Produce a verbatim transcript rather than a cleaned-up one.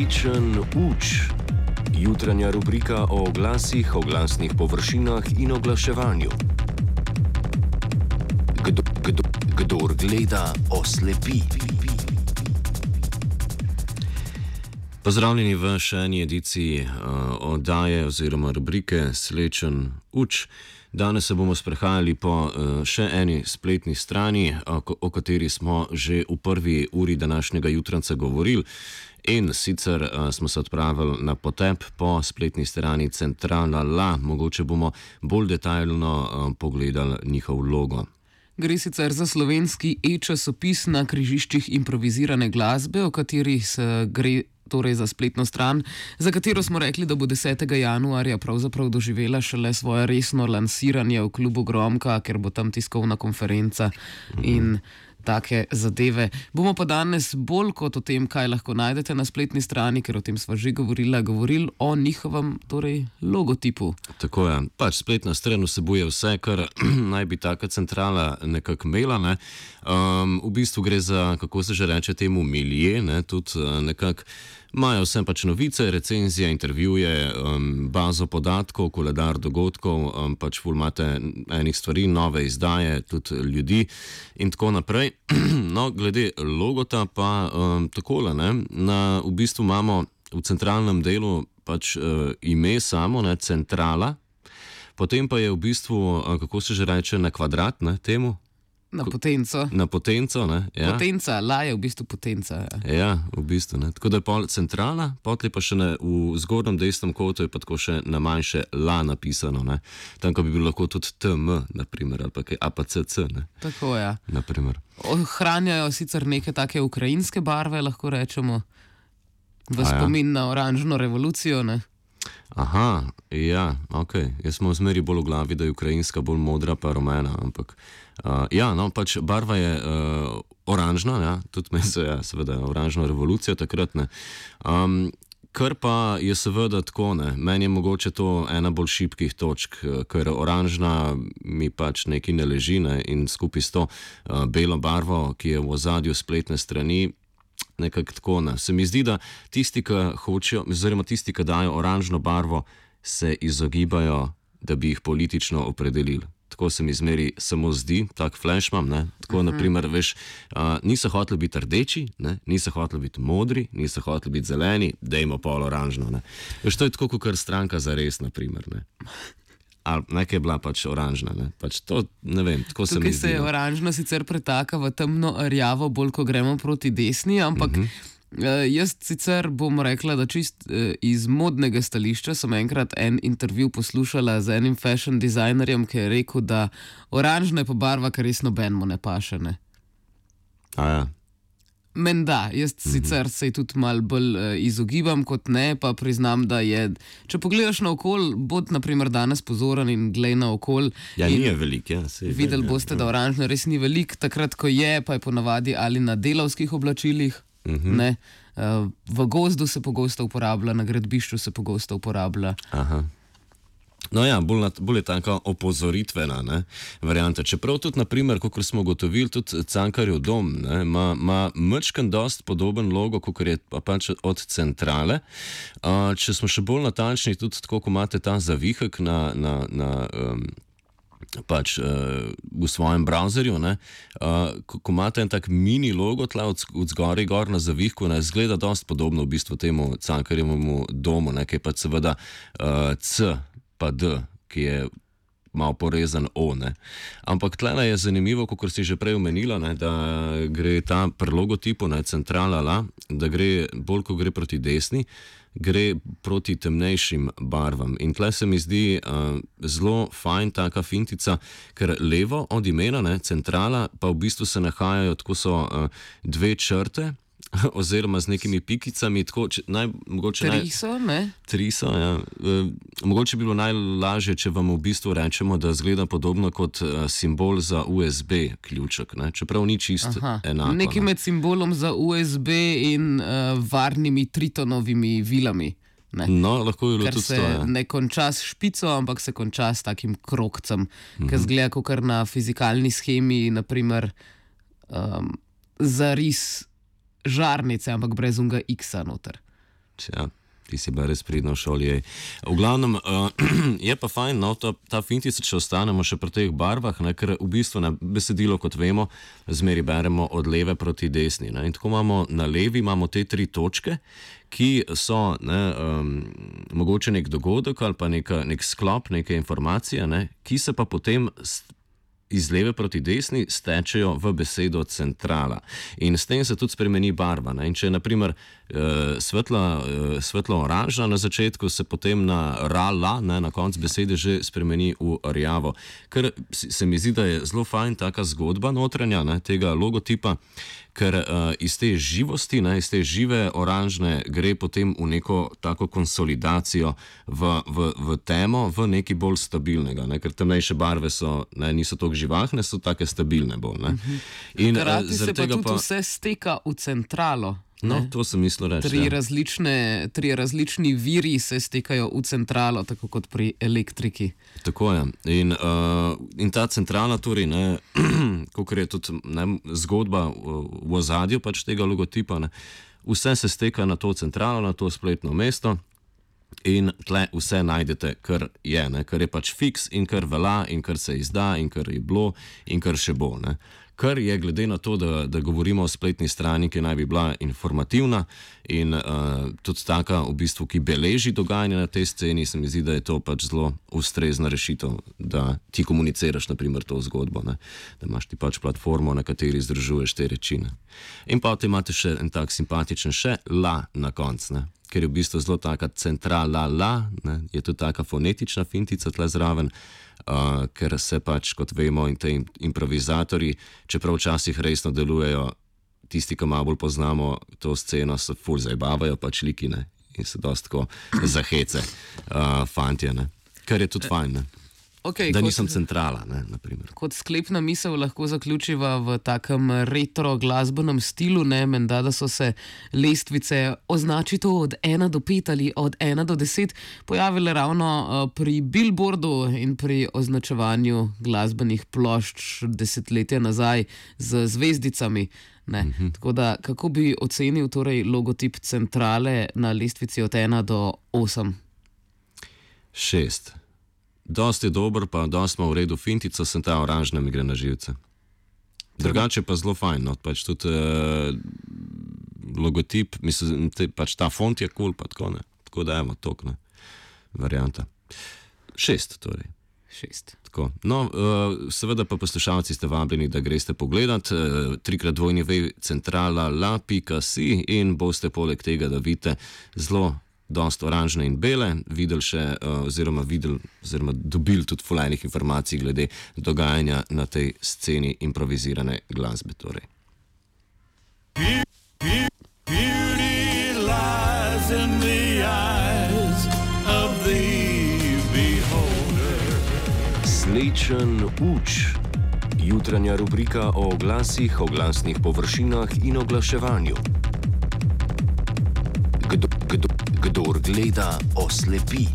Slečen uč. Jutranja rubrika o oglasih, oglasnih površinah in oglaševanju. Kdo, kdo, kdor gleda, oslepi. Pozdravljeni v še eni ediciji uh, oddaje oziroma rubrike Slečen uč. Danes se bomo sprehajali po uh, še eni spletni strani, o, o kateri smo že v prvi uri današnjega jutranca govorili. In sicer uh, smo se odpravili na potep po spletni strani Centrala La. Mogoče bomo bolj detaljno uh, pogledali njihov logo. Gre sicer za slovenski e-časopis na križiščih improvizirane glasbe, o kateri se gre torej za spletno stran, za katero smo rekli, da bo desetega januarja pravzaprav doživela šele svoje resno lansiranje v klubu Gromka, ker bo tam tiskovna konferenca in take zadeve. Bomo pa danes bolj kot o tem, kaj lahko najdete na spletni strani, ker o tem sva že govorila, govorili o njihovem torej logotipu. Tako je, pač spletna stran vsebuje vse, kar naj bi taka centrala nekako imela. Ne? Um, v bistvu gre za, kako se že reče temu, milije, ne? Tudi uh, nekako imajo vse pač novice, recenzije, intervjuje, um, bazo podatkov, koledar dogodkov, um, pač ful imate enih stvari, nove izdaje, tudi ljudi in tako naprej. No, glede logota pa um, takole, ne, na, v bistvu imamo v centralnem delu pač uh, ime samo, ne, centrala, potem pa je v bistvu, uh, kako se že reče, na kvadrat, ne, temu? Na potenco. Na potenco, ne? Ja. Potenca, la je v bistvu potenca. Ja, ja v bistvu, ne. Tako da je pol centrala, potli pa še ne, v zgornjem desnem kotu je pa tako še na manjše la napisano, ne. Tam, ko bi bilo lahko tudi T M, naprimer, ali pa kaj A P C C, ne. Tako, ja. Naprimer. Ohranjajo sicer neke take ukrajinske barve, lahko rečemo, v A spomin ja. na oranžno revolucijo, ne. Aha, ja, ok. Jaz smo zmeri bolj v glavi, da je ukrajinska bolj modra pa rumena, ampak uh, ja, no, pač barva je uh, oranžna, ja, tudi me se, ja, seveda, oranžna revolucija takrat, ne. Um, kar pa je seveda tako, ne, meni je mogoče to ena bolj šibkih točk, ker oranžna mi pač nekaj ne leži, ne, in skupaj s to uh, belo barvo, ki je v ozadju spletne strani, nekako tako, ne. Se mi zdi, da tisti, ki hočejo, oziroma tisti, ki dajo oranžno barvo, se izogibajo, da bi jih politično opredelili. Tako se mi zmeri samo zdi, tak flash imam, ne. Tako, uh-huh. naprimer, veš, uh, niso hoteli biti rdeči, ne, niso hoteli biti modri, niso hoteli biti zeleni, dejmo pol oranžno, ne. Veš, to je tako, kot stranka za res, naprimer, ne. Ali nekaj je bila pač oranžna, ne? Pač to, ne vem, tako se mi zdi. Tukaj se oranžna sicer pretaka v temno rjavo, bolj ko gremo proti desni, ampak uh-huh. jaz sicer bom rekla, da čist uh, iz modnega stališča sem enkrat en intervju poslušala z enim fashion designerjem, ki je rekel, da oranžna je pa barva, kar res nobenemu ne paše, ne. A ja. Menda, jaz mm-hmm. sicer se tudi malo bolj uh, izogibam kot ne, pa priznam, da je, če pogledaš na okol, bod naprimer danes pozoren in glej na okol. Ja, ni je velik, ja. Sej, videli ja, boste, ja. da oranžno res ni velik, takrat, ko je, pa je ponavadi ali na delavskih oblačilih, mm-hmm. ne, uh, v gozdu se pogosto uporablja, na gradbišču se pogosto uporablja. Aha. No ja, bolj, bolj je taka opozoritvena, ne, varianta. Čeprav tudi, naprimer, kot smo gotovili, tudi Cankarjev dom, ne, ima, ima mečken dost podoben logo, kot je pa pač od centrale. Uh, če smo še bolj natančni, tudi tako, ko imate ta zavihek na, na, na um, pač uh, v svojem browserju, ne, uh, ko, ko imate en tak mini logo tla od, od zgori gor na zavihku, ne, zgleda dost podobno v bistvu temu Cankarjevemu domu, ne, ki je pač seveda uh, C pa D, ki je malo porezan O, ne. Ampak tlele je zanimivo, kot si že prej omenila, ne, da gre ta pri logotipu, ne, centrala la, da gre bolj, ko gre proti desni, gre proti temnejšim barvam. In tle se mi zdi uh, zelo fajn taka fintica, ker levo od imena, ne, centrala, pa v bistvu se nahajajo, tako so uh, dve črte, oziroma z nekimi pikicami, tako, če, naj, mogoče tri so, ne? Tri so, ja. E, mogoče bi bilo najlažje, če vam v bistvu rečemo, da zgleda podobno kot uh, simbol za U S B ključek, ne? Čeprav ni čisto enako. Nekaj med simbolom za U S B in uh, varnimi tritonovimi vilami. Ne? No, lahko je bilo ker tudi to. Ker Ja. se ne konča s špico, ampak se konča s takim krogcem, mm-hmm. ki zgleda kot kar na fizikalni schemi, naprimer um, zaris žarnice, ampak brez unga X-a noter. Tja, ti si bila res pridna v šoli. Ej. V glavnem, uh, je pa fajn, no, ta, ta fintica, če ostanemo še pri teh barvah, ne, ker v bistvu na besedilo, kot vemo, zmeri beremo od leve proti desni. Ne, in tako imamo na levi imamo te tri točke, ki so ne, um, mogoče nek dogodek ali pa neka, nek sklop, neke informacije, ne, ki se pa potem iz leve proti desni stečejo v besedo centrala. In s tem se tudi spremeni barva. Ne? In če je naprimer uh, svetla, uh, svetlo oranžna na začetku, se potem na ra-la, ne, na koncu besede že spremeni v rjavo. Ker se mi zdi, da je zelo fajn taka zgodba notranja, ne, tega logotipa, ker uh, iz te živosti, ne, iz te žive oranžne gre potem v neko tako konsolidacijo v, v, v temo, v nekaj bolj stabilnega, ne, ker temnejše barve so, ne, niso toliko živahne, so take stabilne bolj. Ne. In hkrati uh, se pa tudi pa... vse steka v centralo. No, ne? To sem mislil reči. Tri, ja. različne, tri različni viri se stekajo v centralo, tako kot pri elektriki. Tako je. In, uh, in ta centrala, torej, kot je tudi ne, zgodba v ozadju pač tega logotipa, ne, vse se steka na to centralo, na to spletno mesto. In tle vse najdete, kar je, ne, kar je pač fiks in kar velja in kar se izda in kar je bilo in kar še bo. Ne. Kar je glede na to, da, da govorimo o spletni strani, ki naj bi bila informativna in uh, tudi taka, v bistvu, ki beleži dogajanje na tej sceni, se mi zdi, da je to pač zelo ustrezna rešitev, da ti komuniciraš naprimer to zgodbo, ne. Da imaš ti pač platformo, na kateri združuješ te reči. Ne. In pa te imate še en tak simpatičen še la na koncu, ne. Ker je v bistvu zelo taka centrala la, ne, je tudi taka fonetična fintica tle zraven, uh, ker se pač, kot vemo, in te improvizatorji, čeprav včasih resno delujejo, tisti, ki malo bolj poznamo to sceno, se ful zabavajo pač liki, ne, in se dosti tako zahece uh, fantje, ne, kar je tudi fajn, ne. Okay, da kot, nisem centrala, ne, naprimer. Kot sklepna misel lahko zaključiva v takem retro glasbenem stilu, ne, menda, da so se lestvice označi to od ena do pet ali od ena do deset pojavile ravno uh, pri Billboardu in pri označevanju glasbenih plošč desetletja nazaj z zvezdicami. Ne. Uh-huh. Tako da, kako bi ocenil torej logotip centrale na lestvici od ena do osem? Šest. Dosti je dober, pa dosti ima v redu fintico, sem ta oranžna mi gre na živce. Drugače pa zelo fajn, no, pač tudi uh, logotip, mislim, te, pač ta font je kul, cool, pa tako ne. Tako da evo, tok, ne, varianta. Šest, torej. Šest. Tako. No, uh, seveda pa poslušalci ste vabljeni, da greste pogledat uh, trikrat dvojni ve centrala la pika si in boste poleg tega, da vidite zelo dosti oranžne in bele, videli še, uh, oziroma videli, oziroma dobili tudi fulajnih informacij glede dogajanja na tej sceni improvizirane glasbe. Torej. Slečen uč. Jutranja rubrika o oglasih, oglasnih površinah in oglaševanju. Kdo, kdo, kdor gleda, oslepi.